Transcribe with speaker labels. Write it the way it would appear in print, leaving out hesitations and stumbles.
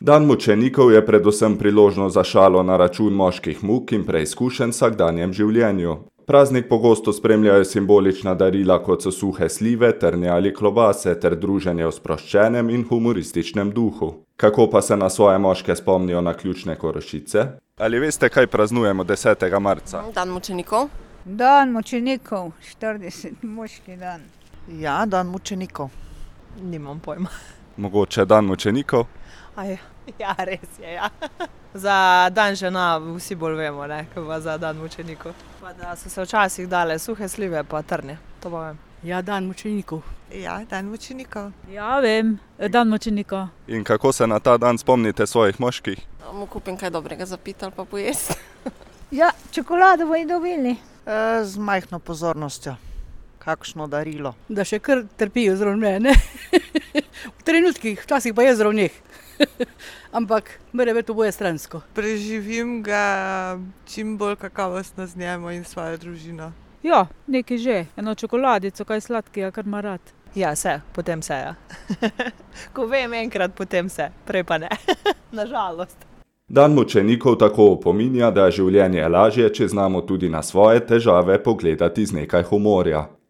Speaker 1: Dan mučenikov je predvsem priložnost za šalo na račun moških muk in preizkušenj v vsakdanjem življenju. Praznik pogosto spremljajo simbolična darila, kot so suhe slive, trnje ali klobase, ter druženje v sproščenem in humorističnem duhu. Kako pa se na svoje moške spomnijo naključne Korošice? Ali veste, kaj praznujemo 10. marca?
Speaker 2: Dan mučenikov.
Speaker 3: Dan mučenikov, 40, moški dan.
Speaker 4: Ja, dan mučenikov.
Speaker 2: Nimam pojma.
Speaker 1: Mogoče dan mučenikov?
Speaker 2: Ja, res je, ja. Za dan žena vsi bolj vemo, ne, kot pa za dan mučenikov. Pa da so se včasih dale suhe slive pa trnje, to pa vem.
Speaker 5: Ja, dan mučenikov.
Speaker 4: Ja, dan mučenikov.
Speaker 5: Ja, vem, dan mučenikov.
Speaker 1: In kako se na ta dan spomnite svojih moških?
Speaker 2: Mu kupim kaj dobrega za piti ali pa pojesti.
Speaker 3: Ja, čokolado bojo dobili.
Speaker 4: Z majhno pozornostjo. Kakšno darilo.
Speaker 5: Da še kar trpijo zraven mene. V trenutkih, včasih pa je zraven njih. Ampak mora biti oboje stransko.
Speaker 6: Preživim ga čim bolj kakovostno z njemu in svojo družino.
Speaker 5: Ja, nekaj že. Eno čokoladico, kaj sladkega, kar ima rad.
Speaker 2: Ja, potem se, ja. Ko vem enkrat, potem se, prej pa ne. Nažalost.
Speaker 1: Dan mučenikov tako opominja, da je življenje lažje, če znamo tudi na svoje težave pogledati z nekaj humorja.